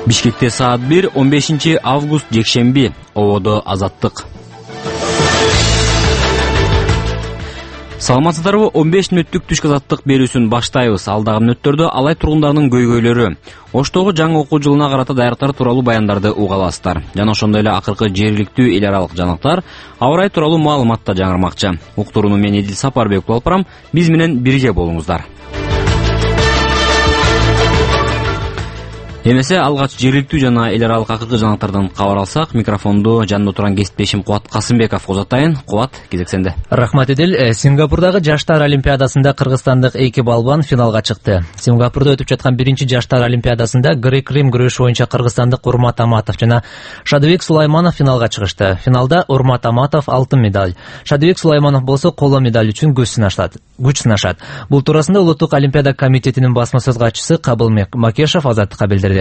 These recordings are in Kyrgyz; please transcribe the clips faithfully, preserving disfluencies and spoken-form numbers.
Бишкекте саат бир, он бешинчи август жекшемби. Ободо азаттык. Саламатсыздарбы? он беш мүнөттүк түшкү азаттык берүүсүн баштайбыз. Алдагы мүнөттөрдө Алай тургундарынын көйгөйлөрү, Оштогу жаңы окуу жылына карата даярдыктар тууралуу баяндарды уга аласыздар. Жана ошондой эле акыркы жергиликтүү эл аралык жаңылыктар, аба ырайы тууралуу маалымат да жаңырмакчы. Уктурууну мен Эдил Сапарбеков алып барам. Биз менен бирге болуңуздар. Эмесе алгач жергиликтүү жана эл аралык акыркы жаңылыктардан кабар алсак, микрофонду жанында турган кесиптешим Кубат Касымбеков козотайын. Кубат, кезек сенде. Рахмат Эдил. Сингапурдагы жаштар олимпиадасында кыргызстандык эки балбан финалга чыкты. Сингапурда өтүп жаткан биринчи жаштар олимпиадасында грек-рим күрөшү боюнча кыргызстандык Урмат Аматов жана Шадыбек Сулайманов финалга чыгышты. Финалда Урмат Аматов алтын медаль, Шадыбек Сулайманов болсо коло медаль үчүн күч сынашат. Күч сынашат. Бул туурасында Улуттук олимпиада комитетинин басма сөз катчысы Кабыл Макешев азаттыкка билдирди.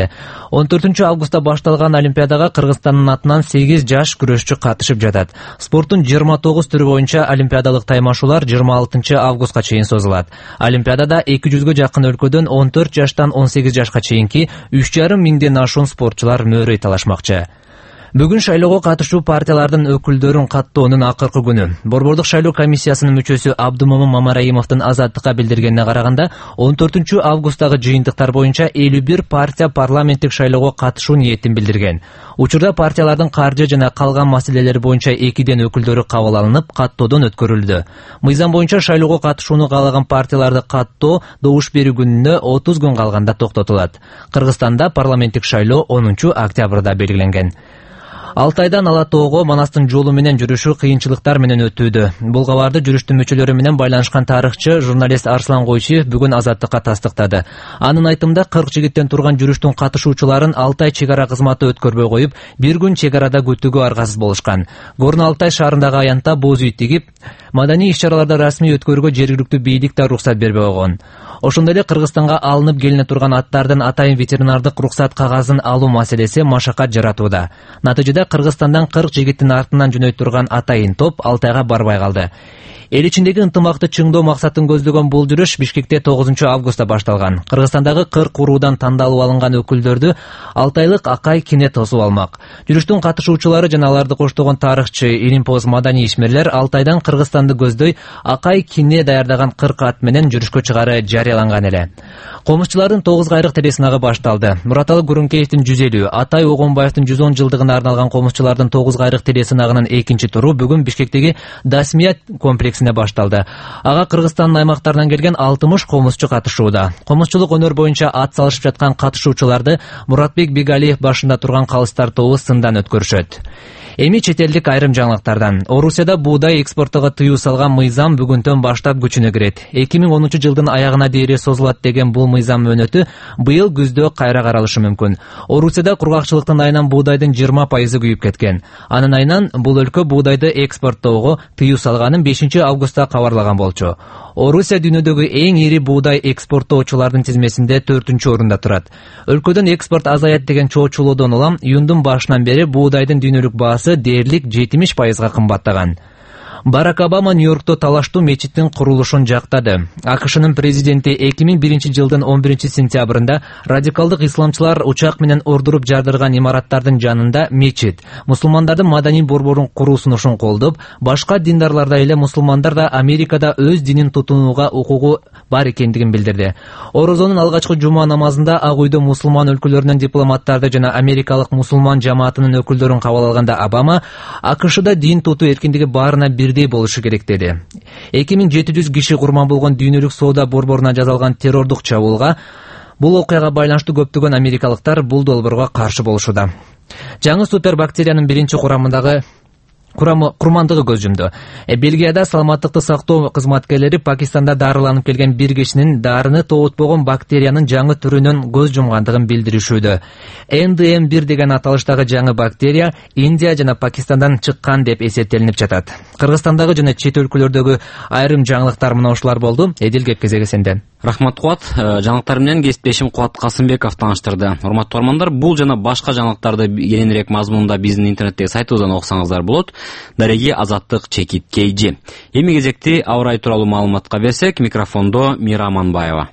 он төртүнчү августта башталган олимпиадага Кыргызстандын атынан сегиз жаш күрөшчү катышып жатат. Спорттун жыйырма тогуз түрү боюнча олимпиадалык таймашуулар жыйырма алтынчы августка чейин созулат. Олимпиадада эки жүзгө жакын өлкөдөн он төрт жаштан он сегиз жашка чейинки үч жарым миңден ашуун спортчулар мөөрөй талашмакчы. Бүгүн шайлоого катышуу партиялардын өкүлдөрүн каттоонун акыркы күнү. Борбордук шайлоо комиссиясынын мүчөсү Абдумомун Мамараимовдун азаттыкка билдиргенине караганда, он төртүнчү августтагы жыйынтыктар боюнча элүү бир партия парламенттик шайлоого катышуу ниетин билдирген. Учурда партиялардын каржы жана калган маселелери боюнча экиден өкүлдөрү кабыл алынып, каттоодон өткөрүлдү. Мыйзам боюнча шайлоого катышууну каалаган партияларды каттоо добуш берүү күнүнө отуз күн калганда токтотулат. Кыргызстанда парламенттик шайлоо онунчу октябрда белгиленген. Алтайдан Ала тоого Манастын жолу менен жүрүшү кыйынчылыктар менен өтүүдө. Бул кабарды жүрүштүн мүчөлөрү менен байланышкан тарыхчы, журналист Арслан Койчиев бүгүн азаттыкка тастыктады. Анын айтымында кырк жигиттен турган жүрүштүн катышуучуларын Алтай чек ара кызматы өткөрбөй коюп, бир күн чек арада күтүүгө аргасыз болушкан. Горно Алтай шаарындагы аянтта боз үй тигип, маданий иш-чараларды расмий өткөрүүгө жергиликтүү бийлик да уруксат бербей койгон. Ошондой эле Кыргызстанга алынып келине турган аттардын атайын ветеринардык уруксат кагазын алуу маселеси машакат жаратууда. Натыйжада Кыргызстандан кырк жигиттин артынан жөнөйт турган атайын топ Алтайга барбай калды. Эл ичиндеги ынтымакты чыңдоо максатын көздөгөн бул жүрүш Бишкекте тогузунчу августта башталган. Кыргызстандагы кырк уруудан тандалып алынган өкүлдөрдү алтайлык Акай Кине тосуп алмак. Жүрүштүн катышуучулары жана аларды коштогон тарыхчы, илимпоз, маданий ишмерлер Алтайдан Кыргызстанды көздөй Акай Кине даярдаган кырк ат менен жүрүшкө чыгары жарыяланган эле. Комузчулардын тогуз кайрык телесынагы башталды. Мураталы Гурункеевдин жүз элүү, Атай Огонбаевдин жүз он жылдыгына арналган комузчулардын тогуз кайрык телесынагынын экинчи туру бүгүн Бишкектеги Дасмият комплексине башталды. Ага Кыргызстандын аймактарынан келген алтымыш комузчу катышууда. Комузчулук өнөр боюнча ат салышып жаткан катышуучуларды Муратбек Бегалиев башында турган калыстар тобу сындан өткөрүшөт. Эми чет элдик айрым жаңылыктардан. Орусияда буудай экспортуга тыюу салган мыйзам бүгүндөн баштап күчүнө кирет. эки миң онунчу жылдын аягына дейин созулат деген бул мыйзам мөөнөтү быйыл күздө кайра каралышы мүмкүн. Орусияда кургакчылыктын айынан буудайдын жыйырма пайызы күйүп кеткен. Анын айынан бул өлкө буудайды экспорттоого тыюу салганын бешинчи августта кабарлаган болчу. Орусия дүйнөдөгү эң ири буудай экспорттоочулардын тизмесинде төртүнчү орунда турат. Өлкөдөн экспорт азаят деген чоочулоодон улам июндун башынан бери буудайдын дүйнөлүк баасы дээрлик жетимиш пайызга кымбаттаган. Барак Обама Нью-Йоркто талаштуу мечиттин курулушун жактады. АКШнын президенти эки миң биринчи жылдын он биринчи сентябрында радикалдык исламчылар учак менен ордуруп жардырган имараттардын жанында мечит, мусулмандардын маданий борборун куруу сунушун колдоп, башка диндарлардай эле мусулмандар да Америкада өз динин тутунууга укугу бар экендигин билдирди. Орозонун алгачкы жума намазында Ак үйдө мусулман өлкөлөрүнөн дипломаттарды жана америкалык мусулман жамаатынын өкүлдөрүн кабыл алганда Обама АКШда дин тутуу эркиндиги баарына бирдей болушу керек деди. эки миң жети жүз киши курман болгон дүйнөлүк соода борборуна жасалган террордук чабуулга, бул окуяга байланыштуу көптөгөн америкалыктар бул долбоорго каршы болушууда. Жаңы супербактериянын биринчи курамындагы курмандыгы көз жумду. Э, Бельгияда саламаттыкты сактоо кызматкерлери Пакистанда дарыланып келген бир кишинин дарыны тоотпогон бактериянын жаңы түрүнөн көз жумгандыгын билдиришүүдө. Эн Д М бир деген аталыштагы жаңы бактерия Индия жана Пакистандан чыккан деп эсептелинип жатат. Кыргызстандагы жана чет өлкөлөрдөгү айрым жаңылыктар мына ушулар болду. Эдил, кеп кезеги сенде. Рахмат Кубат. Жаңылыктар менен кесиптешим Кубат Касымбеков тааныштырды. Урматтуу бармандар, бул жана башка жаңылыктарды кененирээк мазмунунда биздин интернеттеги сайтыбыздан окусаңыздар болот. Дареги Азаттык Чекит Кейжи. Эми кезекти аба ырайы тууралуу маалыматка берсек, микрофондо Мира Аманбаева.